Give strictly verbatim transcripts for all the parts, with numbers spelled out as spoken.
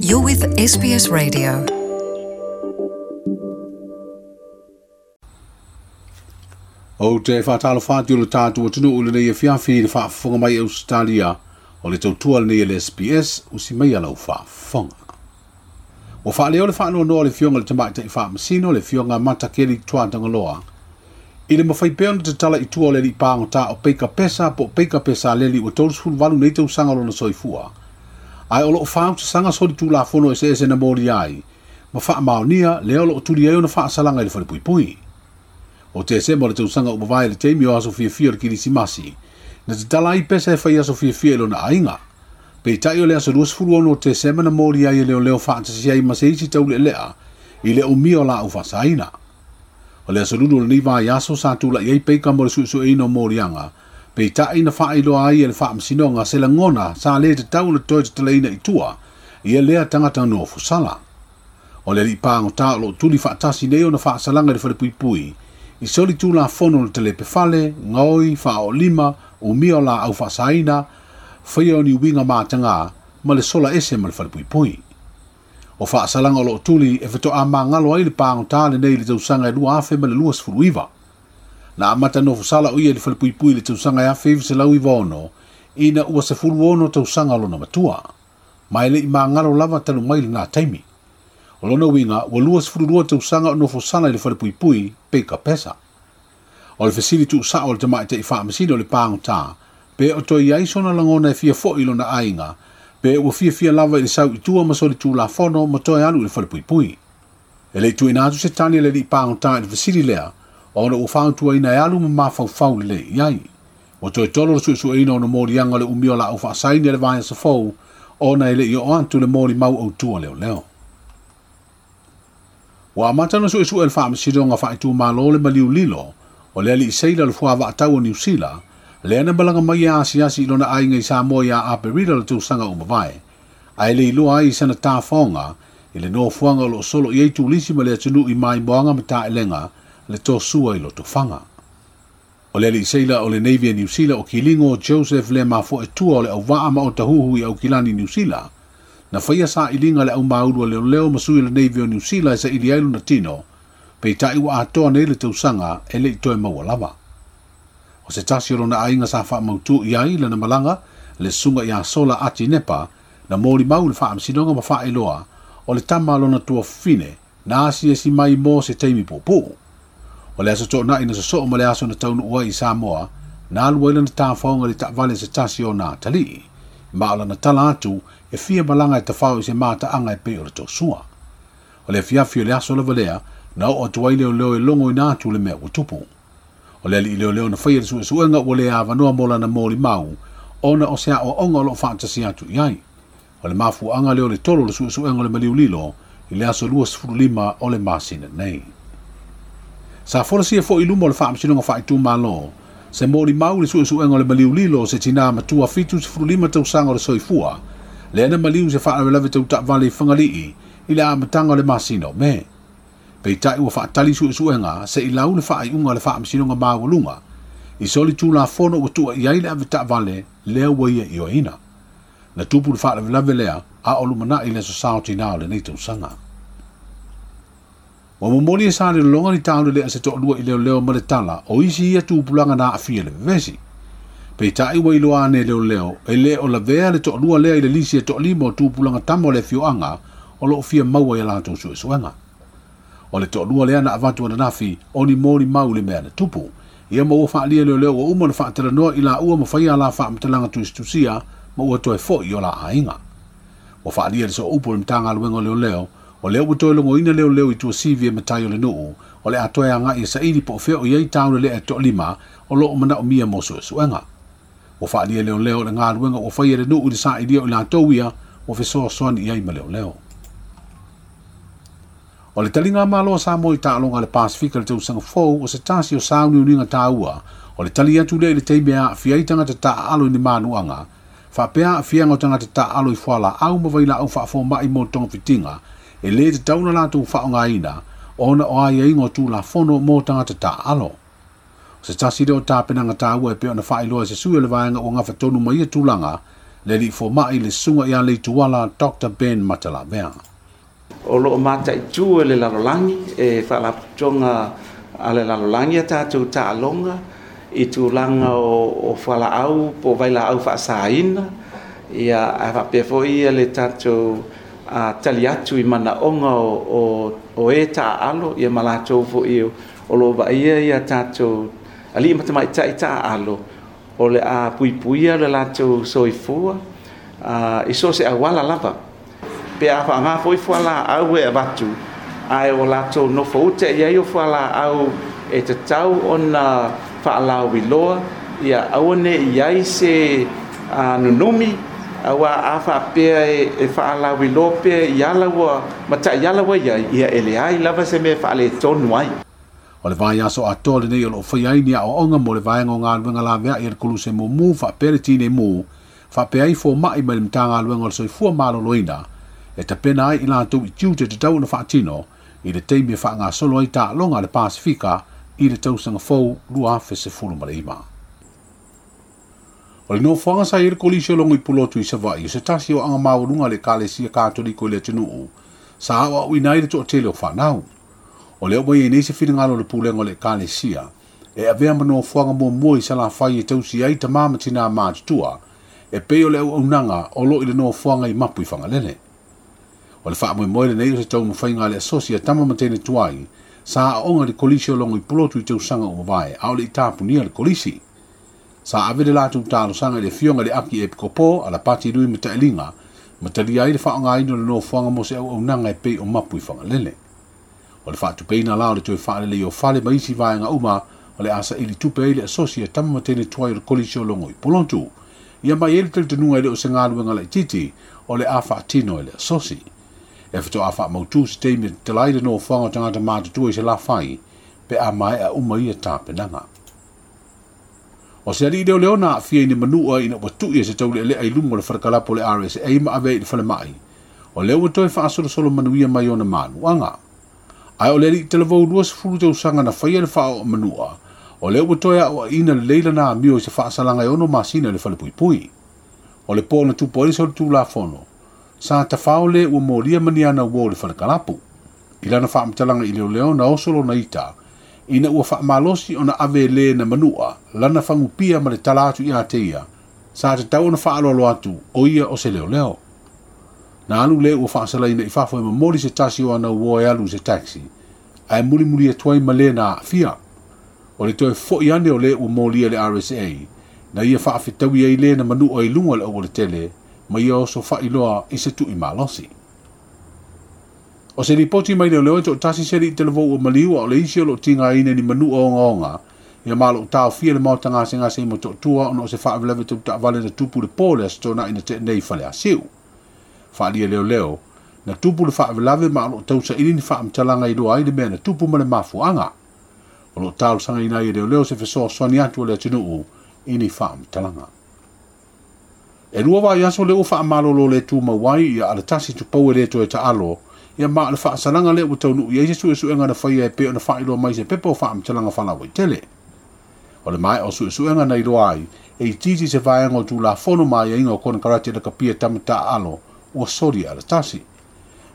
You're with S B S Radio. O te whātalo whāti o le tātu o tunu ule nei e fiafi le whaafonga mai Australia o le tautua le nei le S B S o si mai alau whaafonga. O whaaleo le whaanoa noa le fionga le tamai tai whaamasino le fionga matakeli tuatangaloa. I le mawhai peo na te tala i tua o le li pāngota o peika pesa po peika pesa leli o tolu valu nei tau sanga lona soifua. Ai o loo whaau te sanga soli tūlafono e se ese na mori ai. Ma whaamaonia le o loo tuli ai o na whaasalanga i le whare pui. O te se mo le tausaga o mavae le teimi o aso fiafia o le kirisimasi, na te tala ai pesa e whai aso fiafia i lona ainga. Peitai o le aso luasefulu ono o te sema na mori ai e leo leo whaatasi ai ma se isi taule lea i le umia o la au whasaina. O le aso lulu o le niwa ai aso sa tula i ai peika mo le suesueina o morianga, peitai na whaailoa ai e le whaamasinoga se langona sa le te tau le toi te talaina i tua i e lea tangata no fusala. O le lipago tā o loo tuli whaatasi nei o na whaasalanga i le whare puipui, i soli tūla fono le telepe fale, ngoi, whao lima, umia o la au whaasaina, whaia o ni winga mātanga, ma le sola ese ma le whare puipui. O whaasalanga o loo tuli e whatoa mā ngalo ai le pāngo tāle nei le tausaga e lua afe ma le lua sefulu iwa. Na amata no fusala o ia le whare puipui le tausaga e afe iwa selau iwa ono, ina ua sefulu ono tausaga lona matua. Mai le i mā ngalo lava talu mai le ngā taimi. O lona winga, ua lua sefulu lua tausaga o nofo sala i le whare puipui, peika pesa. O le fesili tuu sao o le tamai te i whaamasino o le pāngo tā, pe o toi ai sona langona e fia foi lona ainga, pe ua fia fia lava i le sau i tua ma soli tū la fono ma toi alu i le whare puipui. E le tuina atu se tani le li pāngo tā i le fesili lea, ona ua whauntua ina e alu ma mawhauwhau le le i ai. O toi tolo le suesueina o na morianga le umio la au whaasaini le vaea safou, ona e le i o antu le mori mau au tua leo leo. Ua amata na suesue le whaamasinoga whaitūmālo le maliu lilo, o le ali i seila le fua waatau o Niu Sila, le ana malanga mai e asiasi i lona ainga i Samoa ia Aperila le tausaga o mavae, ai le iloa ai i sana tāwhaonga, i le nofoanga o loo solo i ei tūlisi ma le atunuu i maimoaga ma taelega, le tōsua i lotofanga. O le ali i seila o le Navy e Niu Sila o Kilingo Joseph le mafoe tua o le auvaa ma o tahuhu i Aukilani Niu Sila, na whaia sa ilinga le au maulu leo leo masui le Navy o Niu Sila e sa ili ai luna tino, peitai ua atoa nei le tausaga e le i toe maua lava. O se tasi o lona ainga sa whaamautu i ai lana malanga, le sunga i a sola ati nepa, na mori mau le whaamasinoga ma whaeloa, o le tama lona tua fine, na asi e si mai mō se teimi pōpō. O le aso tōna ina sosoo ma le aso na taunu ua i Samoa, na alu ai lana tāwhaonga le taavale se tasi o nā talii. Ma o lana tala atu e fia malanga e tawhao i se mātaanga e pei o le tōsua. O le fiafi o le aso lava lea, na o atu ai leo leo e longo ina atu le mea ua tupu. O le ali i leo leo na whaia le suesuenga ua le awanoa mō lana mōri mau, ona o se a o onga o loo whaatasi atu i ai. O le mafuanga leo le tolo le suesuenga o le maliu lilo, i le aso lua sefulu lima o le masina nei. Sa folasia fo i luma o le whaamasinoga whaitūmālo, se mōri mau le suesuenga o le maliu lilo se tina matua fitu sefulu lima tausaga o le soifua, le ana maliu se whaarawelawe tau taavale i Whangalii i le amatanga o le masina o me. Peitai ua whaatali suesuenga se i lau le whaaiunga le whaamasinoga māualunga, i soli tūla fono ua tua i ai le ave taavale lea ua ia i oina. Na tupu le whaarawelawe lea a o lumanai le aso sao tina o lenei tausaga. Ua momoli e sa le lolonga ni tāule lea se to'alua i leo leo ma le tala o isi ia tupulaga na aafia le vevesi. Peitai ua iloa ane leo leo e le o lavea le to'alua lea i le lisi e to'alima o tupulaga tama o le afioaga o loo fia maua ia latou suesuega. O le to'alua lea na avatu ananafi o ni moli mau le mea na tupu. Ia ma ua faalia leo leo ua uma na faatalanoa i laua ma faia la faamatalaga tusitusia ma ua toe fo'i o la aiga. Ua faalia le sooupu o le Matagaluega o leoleo, o lea ua toe logoina leo leo i tuasivi e matai o le nuu, o le atoe agai e saili po o fea o iai taule lea e to'alima o loo manaomia mo suesuega. Ua faalia leo leo le galuega ua faia le nuu i le sa'ilia o i latou ia ua fesoasoani i ai ma leo leo. O le talinga malo Samoa i taaloga le Pasifika le tausaga fou o se tasi o sauniuniga tāua, o le tali atu lea i le taimi e aafia ai tagata taaalo i ni manuaga, faapea aafiaga o tagata taaalo i fualaau ma vailaau faafomai mo togafitiga, e lē tatau na latou faaaogaina ona o aiaiga o tulafono mo tagata taaalo. O se tasi lea o tapenaga tāua e pei ona faailoa e se sui o le vaega ua gafatonu mai ia tulaga, Le alii foma'i le susuga ia Leituala Doctor Ben Matalavea. O loo mataitu e le lalolagi e faalapotopotoga a le lalolagi a tatou taaloga i tulaga o, o fualaau po o vailaau faasaina ia ae faapea foi ia le tatou a, tali atu i manaoga o, o, o e taaalo ia ma latou foi o loo vaaia ia tatou alii ma tamaitai taaalo o le a puipuia le latou soifua a, i so o se auala lava pe a faaaga foi fualaau e avatu ae o latou nofo uta i ai o fualaau e tatau ona faalauiloa ia aua ne i ai se a, nunumi aua a faapea e, e faalauiloa pea i ala ua mataiala ua iai ia e leai lava se mea faaletonu ai. O le vaiaso atoa lenei o loo faia ai ni aoaoga mo le vaega o galuega laveai a le koluse mumu faapea le tinei mu faapea ai foma'i mai le Matagaluega o le Soifua Maloloina e tapena ai i latou i tiute tatau ona faatino i le taimi e faagasolo ai taaloga a le Pasifika i le tausaga fou lua afe sefulu ma le iva. O le nofoaga sa i ai le kolisi o logo i Pulotu i Savaii o se tasi o aga maualuga a le Ekalesia Katoliko i le atunuu sa aoaoina ai le toatele o fanau. O lea ua iai nei se finagalo o le pulega o le Ekalesia e avea ma nofoaga muamua i Salafai e tausi ai tamā ma tinā matutua e pei o le auaunaga o loo i le nofoaga i Mapu i Fagalele. O le faamoemoe lenei o se taumafaiga a le asosi a tama ma teine tuai sa aoga i le kolisi o logo i Pulotu i tausaga ua mavae a o le i tapunia le kolisi. Sa ave le latou talosaga i le afioga i le Aki Epikopo Alapati Lui Matailiga ma talia ai le faaaogaina o le nofoaga mo se auaunaga e pei o Mapu i Fagalele. O le faatupeina la o le toe faalelei o fale ma isi vaega uma o le a saili tupe ai le asosi a tama ma teine tuai o le kolisi o logo i Pulotu. Ia mai ai le talitonuga e le o se galuega laitiiti o le a faatino e le asosi. E faatoa faamautu se taimi e tatala ai le nofoaga o tagata matutua i Salafai pe a maea uma ia tapenaga. O se alii leoleo na aafia i ni manua ina ua tui e se taulealea i luga o le falekalapo o le R S A ma ave ai i le falemai. O lea ua toe faasolosolo manuia mai ona manuaga. Ae o le alii talavou luasefulu tausaga na faia le faaoo manua, o lea ua toe aoaina lelei lana amio i se faasalaga e ono masina i le falepuipui. O le po na tupu ai le solitulafono, sa tafao le ua molia maniana ua o le falekalapu. I lana faamatalaga i leoleo na oso lona ita, ina ua faamalosi ona ave le na manua, lana fagupia ma le tala atu ia te ia, sa tatau ona faaloalo atu o ia o se leoleo. Na alu le ua faasalaina i fafo e momoli se tasi o ana ua e alu i se taxi, ae mulimuli atu ai ma le na aafia. O le toe fo'i ane o le ua molia le R S A, na ia faafetaui ai le na manua i luga o le aualatele, ma ia oso faailoa i se tui malosi. O se ripoti mai leoleo e toatasi se alii talavou ua maliu a o le isi o loo tigaina ni manua ogaoga, ia ma loo taofia le maota gasegase i Motootua ona o se faalavelave tau taavale na tupu le po le Aso Toonai na tea nei i Faleasiu. Faaalia leoleo, na tupu le faalavelave ma o loo tausaili ni faamatalaga i loa ai le mea na tupu ma le mafuaaga. O loo talosagaina ai e leoleo se fesoasoani atu o le atunuu i ni faamatalaga. E lua vaiaso le ua faamalolo le tumau ai ia alatasi tupau e le toe taalo, ia ma o le faasalaga lea ua taunuu i ai se suesuega na faia e pei ona faailoa mai se pepa o faamatalaga faalauaitele. O le maea o suesuega na iloa ai, e itiiti se vaega o tulafono ma aiaiga o konekarate le kapia tama taaalo ua soli e alatasi.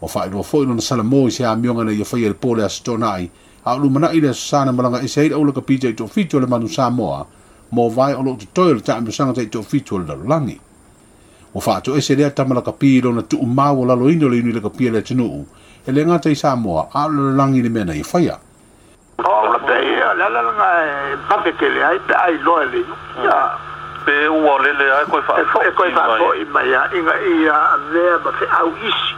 Ua faailoa foi lona salamo i se amioga na ia faia i le po le Aso Toonai, a o lumanai le aso Sa na malaga ese ai le aulakapi taitoafitu o le Manu Samoa, mo vae o loo totoe o le taamilosaga taitoafitu o le lalolagi. Ua faatoese lea tama lakapi i lona tuumau o laloina o le iuni lakapi a le atunuu, e le gata i Samoa, a o le lalolagi le mea na ia faia. O la pe ia, le ala lena e vave tele ai pe ai loa e le iu. Ia. Pe ua lele ai koe faafoi E koe mai. faafoi mai a, inga ia avea ma feau isi.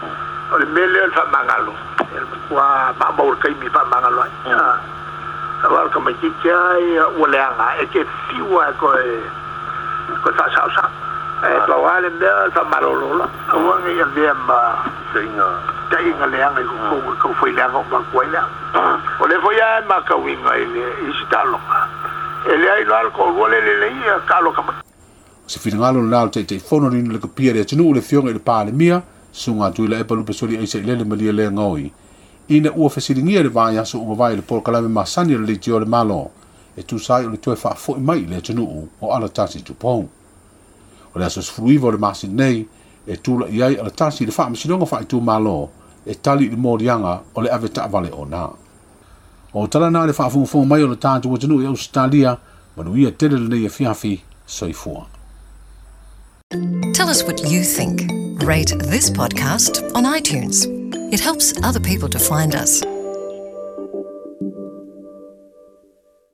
O le mea lea o le faamagalo. E le matua maamau le taimi faamagalo ai. Ia. Aua o le tamaitiiti ai, ua leaga, e te fiu ai koe, koe faasaosao. E pau lava le mea o le faamalolo la. Aua ne i avea ma Taiga. taiga leaga i totonu i taufai leaga o matua ai lea. O le foi lava e matauina i le isi taaloga. E leai loa le toalua le lelei ia taalo tamaiti. O se finagalo lena o le Taitaifono le Iuni Lakapia le atunuu le afioga i le Palemia, susuga Tuilaepa Lupesoli Aisa Ilele Malia le Gaoi, ina ua fesiligia le vaiaso ua mavae i le polokalame masani o le leitio o le Malo, e tusa ai o le toe faafoi mai i le atunuu o alatasi tupou. O le aso sefuluiva o le masina nei e tula'i ai alatasi i le Faamasinoga Faaitumalo e tali i le moliaga o le ave taavale ona. O tala na le faafogafoga mai o le tatou atunuu i Ausetalia, manuia tele lenei afiafi, soifua. Tell us what you think. Rate this podcast on iTunes. It helps other people to find us.